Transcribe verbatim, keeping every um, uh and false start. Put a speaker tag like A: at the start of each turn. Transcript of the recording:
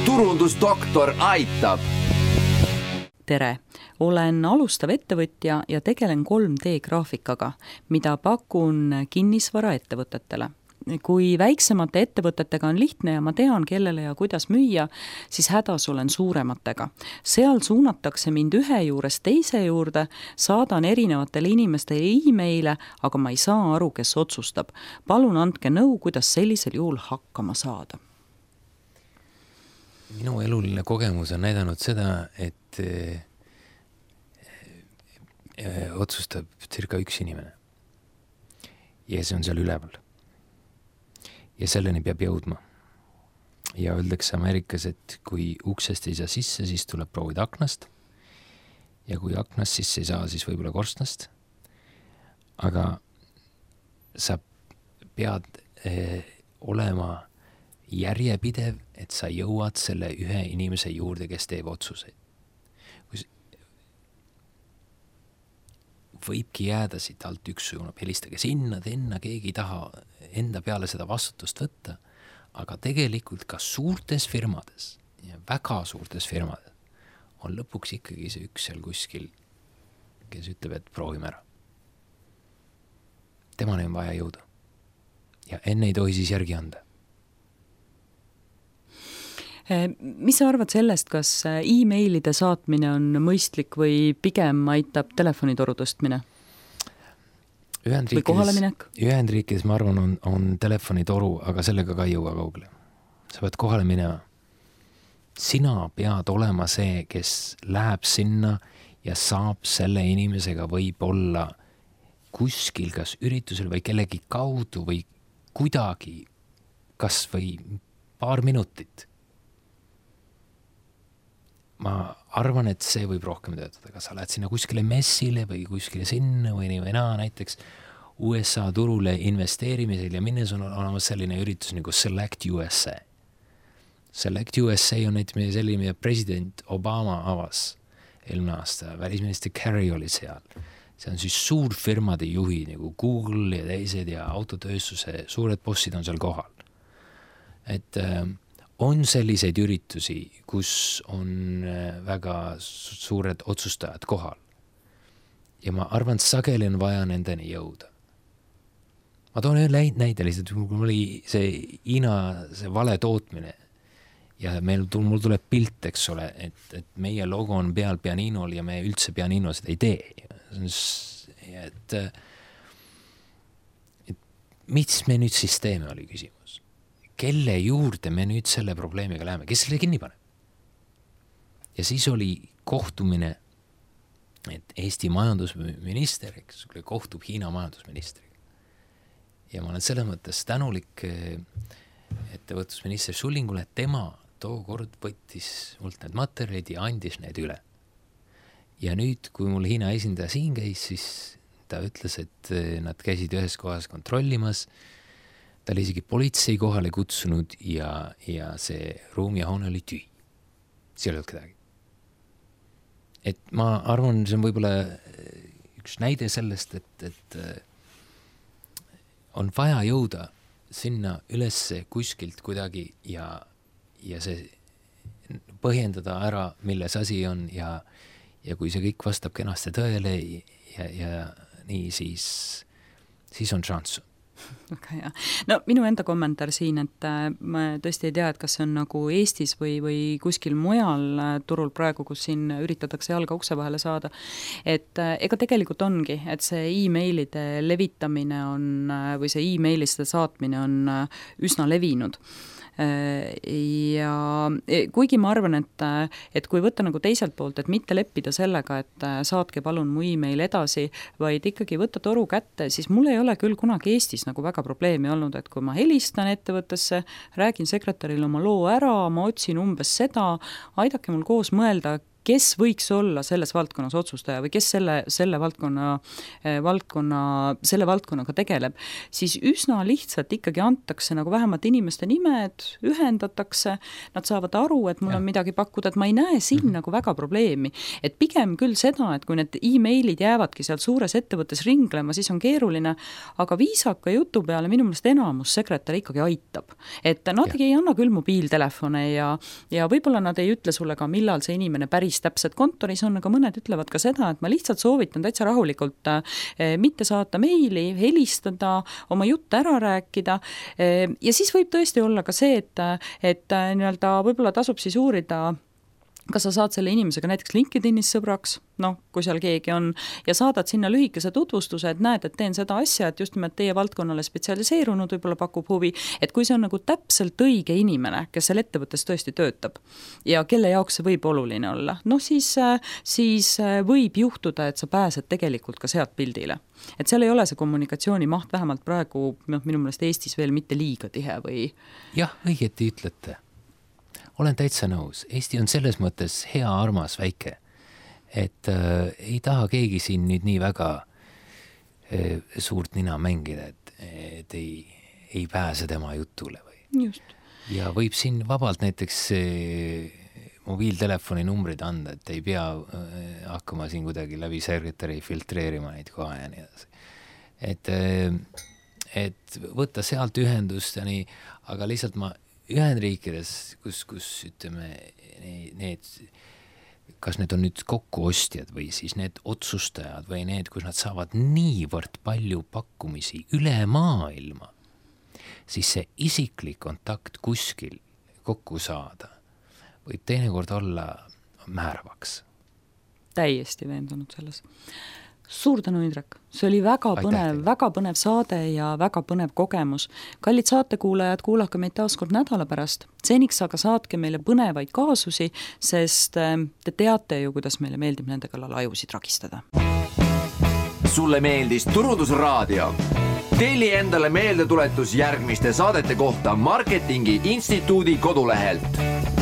A: turundusdoktor aitab.
B: Tere! Olen alustav ettevõtja ja tegelen kolm D graafikaga, mida pakun kinnisvaraettevõtetele. Kui väiksemate ettevõtetega on lihtne ja ma tean, kellele ja kuidas müüa, siis hädas olen suurematega. Seal suunatakse mind ühe juures teise juurde, saadan erinevatele inimestele e-maile, aga ma ei saa aru, kes otsustab. Palun andke nõu, kuidas sellisel juhul hakkama saada.
C: Minu eluline kogemus on näidanud seda, et eh, eh, otsustab circa üks inimene. Ja see on seal üleval. Ja selleni peab jõudma. Ja öeldakse Ameerikas, et kui uksest ei saa sisse, siis tuleb proovida aknast. Ja kui aknast sisse ei saa, siis võib-olla korstnast. Aga sa pead eh, olema järjepidev, et sa jõuad selle ühe inimese juurde, kes teeb otsuseid. Võibki jääda siit alt üks suunab, helistage sinna, tenna, keegi ei taha enda peale seda vastutust võtta, aga tegelikult ka suurtes firmades ja väga suurtes firmades on lõpuks ikkagi see üks seal kuskil, kes ütleb, et proovime ära. Temani on vaja jõuda ja enne ei tohi siis järgi anda.
B: Mis sa arvad sellest, kas e-mailide saatmine on mõistlik või pigem aitab telefonitoru tõstmine? Või kohaleminek?
C: Ühendriikides, ma arvan, on, on telefonitoru, aga sellega ka ei jõua kaugele. Sa pead kohale minema. Sina pead olema see, kes läheb sinna ja saab selle inimesega võib-olla kuskil, kas üritusel või kellegi kaudu või kuidagi, kas või paar minutit. Ma arvan, et see võib rohkem töötada, kas sa lähed sinna kuskile messile või kuskile sinna või nii või naa, näiteks U S A turule investeerimisel ja minnes on olemas selline üritus nagu Select U S A. Select U S A on näiteks selline, mida president Obama avas eelmine aasta, välisminister Kerry oli seal. See on siis suurfirmade juhi nagu Google ja teised ja autotööstuse suured bossid on seal kohal. Et on selliseid üritusi, kus on väga suured otsustajad kohal. Ja ma arvan, et sageli on vaja nendeni jõuda. Ma toon ühe näide lihtsalt, mul oli see Hiina see vale tootmine ja meil, mul tuleb pilt, eks ole, et, et meie logo on peal pianinol ja me üldse pianino seda ei tee. Et, et mis me nüüd siis teeme, oli küsimus. Kelle juurde me nüüd selle probleemiga läheme, kes selle kinni paneb? Ja siis oli kohtumine, et Eesti majandusminister, eks kohtub Hiina majandusministriga. Ja ma olen selles mõttes tänulik ettevõtlusminister Sullingule, et tema tookord võttis mult need materjalid ja andis need üle. Ja nüüd, kui mul Hiina esindaja siin käis, siis ta ütles, et nad käisid ühes kohas kontrollimas. Ta oli isegi politsei kohale kutsunud ja, ja see ruum ja hoone oli tüü. See ei olnud kedagi. Et ma arvan, see on võib-olla üks näide sellest, et, et on vaja jõuda sinna ülesse kuskilt kuidagi ja, ja see põhjendada ära, milles asi on ja, ja kui see kõik vastab kenasti tõele ja, ja nii, siis, siis on šanss.
B: Väga hea. No minu enda kommentaar siin, et ma tõesti ei tea, et kas see on nagu Eestis või, või kuskil mujal turul praegu, kus siin üritatakse jalga ukse vahele saada. Et ega tegelikult ongi, et see e-mailide levitamine on, või see e-mailiste saatmine on üsna levinud. Ja kuigi ma arvan, et, et kui võtta nagu teiselt poolt, et mitte leppida sellega, et saatke palun mu e-mail edasi, vaid ikkagi võtta toru kätte, siis mul ei ole küll kunagi Eestis nagu väga probleemi olnud, et kui ma helistan ettevõttesse, räägin sekretäril oma loo ära, ma otsin umbes seda, aidake mul koos mõelda, kes võiks olla selles valdkonnas otsustaja või kes selle, selle valdkonna, valdkonna, selle valdkonnaga tegeleb, siis üsna lihtsalt ikkagi antakse nagu vähemalt inimeste nimed, ühendatakse, nad saavad aru, et mul ja. on midagi pakkuda, et ma ei näe siin mm-hmm. nagu väga probleemi. Et pigem küll seda, et kui need e-mailid jäävadki sealt suures ettevõttes ringlema, siis on keeruline, aga viisaka jutu peale minu meelest enamus sekretär ikkagi aitab. Et nad ja. ei anna küll mobiiltelefone ja, ja võib-olla nad ei ütle sulle ka, millal see inimene päris täpselt kontoris on, aga mõned ütlevad ka seda, et ma lihtsalt soovitan täitsa rahulikult eh, mitte saata meili, helistada, oma jutt ära rääkida eh, ja siis võib tõesti olla ka see, et, et nii-öelda võib-olla tasub siis uurida, kas sa saad selle inimesega näiteks LinkedInis sõbraks, noh, kui seal keegi on, ja saadad sinna lühikese tutvustuse, et näed, et teen seda asja, et just nimelt teie valdkonnale spetsialiseerunud, võib-olla pakub huvi, et kui see on nagu täpselt õige inimene, kes seal ettevõttes tõesti töötab ja kelle jaoks see võib oluline olla, noh siis, siis võib juhtuda, et sa pääsed tegelikult ka sealt pildile. Et seal ei ole see kommunikatsiooni maht vähemalt praegu no, minu meelest Eestis veel mitte liiga tihe või?
C: Jah, õieti ütlete. Olen täitsa nõus. Eesti on selles mõttes hea, armas, väike, et äh, ei taha keegi siin nüüd nii väga äh, suurt nina mängida, et, et ei, ei pääse tema jutule. Või.
B: Just.
C: Ja võib siin vabalt näiteks äh, mobiiltelefoni numbrid anda, et ei pea äh, hakkama siin kuidagi läbi sekretäri filtreerima neid kohe ja nii edasi. Et, äh, et võtta sealt ühendust ja nii, aga lihtsalt ma Ühendriikides, kus, kus ütleme, need, kas need on nüüd kokkuostjad või siis need otsustajad või need, kus nad saavad niivõrd palju pakkumisi üle maailma, siis see isiklik kontakt kuskil kokku saada võib teinekord olla määravaks.
B: Täiesti veendunud selles. Suur tänu, Indrek. See oli väga põnev, väga põnev saade ja väga põnev kogemus. Kallid saatekuulajad, kuulake meid taas kord nädala pärast. Seniks aga saatke meile põnevaid kaasusi, sest te teate ju, kuidas meile meeldib nende kallal ajusid ragistada.
A: Sulle meeldis Turundusraadio? Telli endale meeldetuletus järgmiste saadete kohta Marketingi Instituudi kodulehelt.